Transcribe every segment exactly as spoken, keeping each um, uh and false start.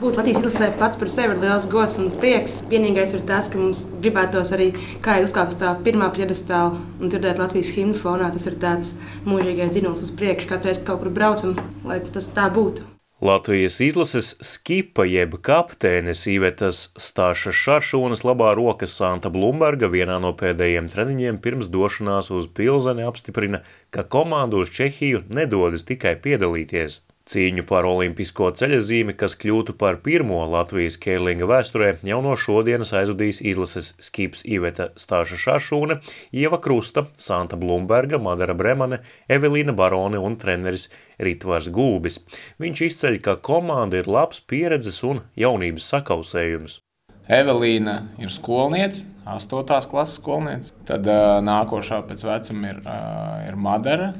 Būt Latvijas izlasē pats par sevi ir liels gods un prieks. Vienīgais ir tas, ka mums gribētos arī kā uzkāpt uz tā pirmā pjedestāla un dzirdēt Latvijas himnu fonā. Tas ir tāds mūžīgais dzinums uz priekšu, katru reizi, kad kaut kur braucam, lai tas tā būtu. Latvijas izlases skipa jeb kapteines Ivetas Stāšas Šaršūnas labā roka Santa Blumberga vienā no pēdējiem treniņiem pirms došanās uz Pilzeni apstiprina, ka komanda uz Čehiju nedodas tikai piedalīties. Cīņu par olimpisko ceļazīmi, kas kļūtu par pirmo Latvijas keirlinga vēsturē, jau no šodienas aizvadīs izlases skips Iveta Stāša Šaršūne, Ieva Krusta, Santa Blumberga, Madara Bremane, Evelīna Barone un treneris Ritvars Gulbis. Viņš izceļ, ka komanda ir labs pieredzes un jaunības sakausējums. Evelīna ir skolniece, astotās klases skolniece. Tad uh, nākošā pēc vecuma ir, uh, ir Madara,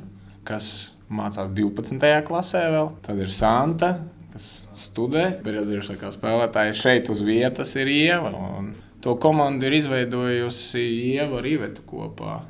kas mācās divpadsmitajā klasē vēl. Tad ir Santa, kas studē. Pieredzējušākā spēlētāja šeit uz vietas ir Ieva. Un to komandu ir izveidojusi Ieva ar Ivetu kopā,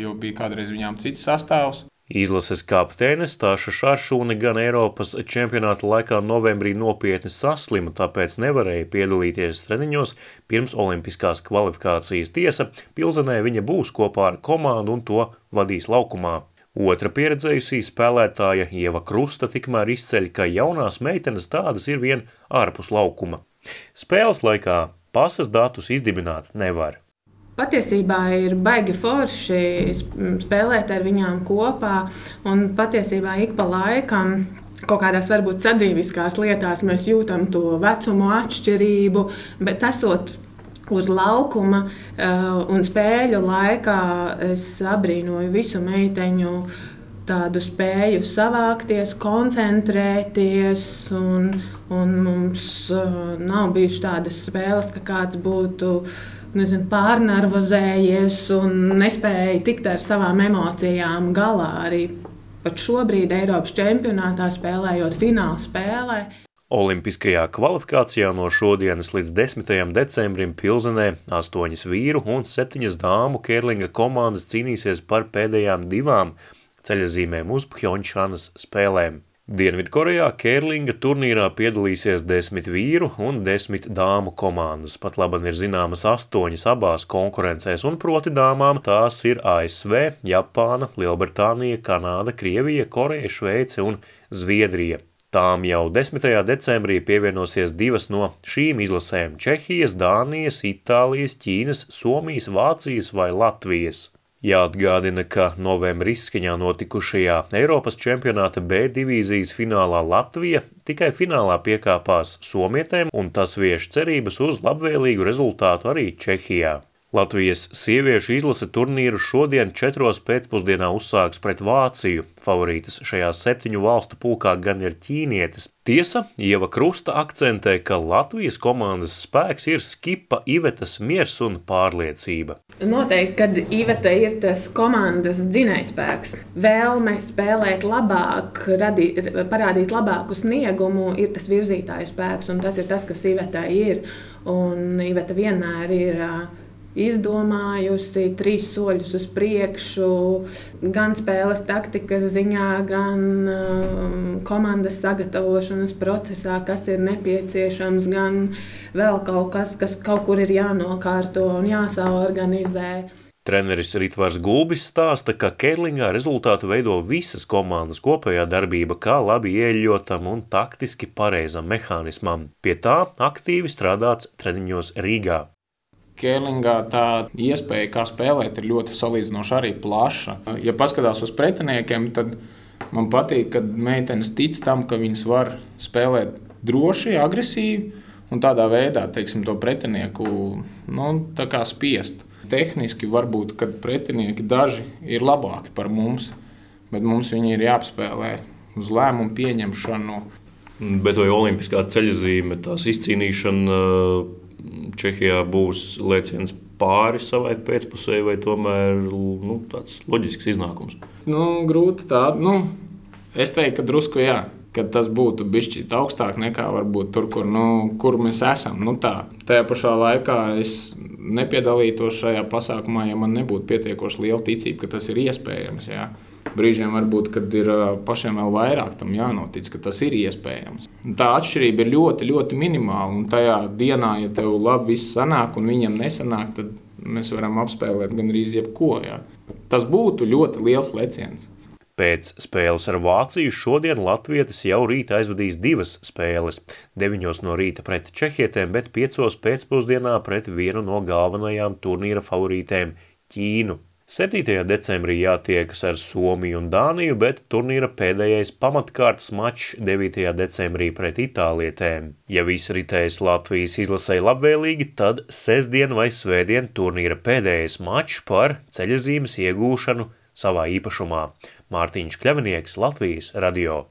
jo bija kādreiz viņām cits sastāvs. Izlases kapteine Stāša Šaršūne gan Eiropas čempionāta laikā novembrī nopietni saslima, tāpēc nevarēja piedalīties treniņos pirms olimpiskās kvalifikācijas. Tiesa, Pilzenē viņa būs kopā ar komandu un to vadīs laukumā. Otra pieredzējusī spēlētāja Ieva Krusta tikmēr izceļ, ka jaunās meitenes tādas ir vien ārpus laukuma. Spēles laikā pasas datus izdibināt nevar. Patiesībā ir baigi forši spēlēt ar viņām kopā, un patiesībā ik pa laikam kaut kādās varbūt sadzīviskās lietās mēs jūtam to vecumu atšķirību, bet esot uz laukuma un spēļu laikā es abrīnoju visu meiteņu tādu spēju savākties, koncentrēties, un, un mums nav bijuši tādas spēles, ka kāds būtu nezinu, pārnervozējies un nespēja tikt ar savām emocijām galā. Arī pat šobrīd Eiropas čempionātā spēlējot fināla spēlē. Olimpiskajā kvalifikācijā no šodienas līdz desmitajam decembrim Pilzenē astoņas vīru un septiņas dāmu keirlinga komandas cīnīsies par pēdējām divām ceļazīmēm uz Phjončhanas spēlēm. Dienvidkorejā keirlinga turnīrā piedalīsies desmit vīru un desmit dāmu komandas. Pat laban ir zināmas astoņas abās konkurencēs, un proti dāmām tās ir A S V, Japāna, Lielbritānija, Kanāda, Krievija, Koreja, Šveice un Zviedrija. Tām jau desmitajā decembrī pievienosies divas no šīm izlasēm – Čehijas, Dānijas, Itālijas, Ķīnas, Somijas, Vācijas vai Latvijas. Jāatgādina, ka novembra izskaņā notikušajā Eiropas čempionāta B divīzijas finālā Latvija tikai finālā piekāpās somietēm, un tas vieš cerības uz labvēlīgu rezultātu arī Čehijā. Latvijas sieviešu izlase turnīru šodien četros pēcpusdienā uzsāks pret Vāciju. Favorītas šajā septiņu valstu pulkā gan ir ķīnietes. Tiesa, Ieva Krusta akcentē, ka Latvijas komandas spēks ir skipa Ivetas miers un pārliecība. Noteikti, kad Iveta ir tas komandas dzinējspēks, vēlme spēlēt labāk, radīt, parādīt labāku sniegumu, ir tas virzītājs spēks, un tas ir tas, kas Ivetai ir. Un Iveta vienmēr ir izdomājusi trīs soļus uz priekšu, gan spēles taktikas ziņā, gan um, komandas sagatavošanas procesā, kas ir nepieciešams, gan vēl kaut kas, kas kaut kur ir jānokārto un jāsaorganizē. Treneris Ritvars Gulbis stāsta, ka keirlingā rezultātu veido visas komandas kopējā darbība, kā labi ieļotam un taktiski pareizam mehānismam. Pie tā aktīvi strādāts treniņos Rīgā. Keirlingā tā iespēja, kā spēlēt, ir ļoti salīdzinoši arī plaša. Ja paskatās uz pretiniekiem, tad man patīk, kad meitenes tic tam, ka viņas var spēlēt droši, agresīvi un tādā veidā, teiksim, to pretinieku nu, tā kā spiest. Tehniski varbūt, kad pretinieki daži ir labāki par mums, bet mums viņi ir jāapspēlē uz lēmumu pieņemšanu. Bet vai olimpiskā ceļazīme, tās izcīnīšana Čehijā būs lēciens pāri savai pēcpusē vai tomēr nu, tāds loģisks iznākums? Nu, grūti tā. Nu, es teiktu, ka drusku jā. Kad tas būtu bišķīt augstāk nekā varbūt tur, kur, nu, kur mēs esam. Nu, tā. Tajā pašā laikā es nepiedalītos šajā pasākumā, ja man nebūtu pietiekoši liela ticība, ka tas ir iespējams. Jā. Brīžiem varbūt, kad ir pašiem vēl vairāk tam jānotic, ka tas ir iespējams. Tā atšķirība ir ļoti, ļoti minimāla, un tajā dienā, ja tev labi viss sanāk un viņam nesanāk, tad mēs varam apspēlēt gandrīz jebko. Jā. Tas būtu ļoti liels leciens. Pēc spēles ar Vāciju šodien latvietis jau rīta aizvadīs divas spēles. Deviņos no rīta pret čehietēm, bet piecos pēcpusdienā pret vienu no galvenajām turnīra favorītēm – Ķīnu. septītajā decembrī jātiekas ar Somiju un Dāniju, bet turnīra pēdējais pamatkārtas mačs devītajā decembrī pret itālietēm. Ja viss ritēs Latvijas izlasei labvēlīgi, tad sestdien vai svētdien turnīra pēdējais mačs par ceļazīmes iegūšanu savā īpašumā. Mārtiņš Kļavinieks, Latvijas radio.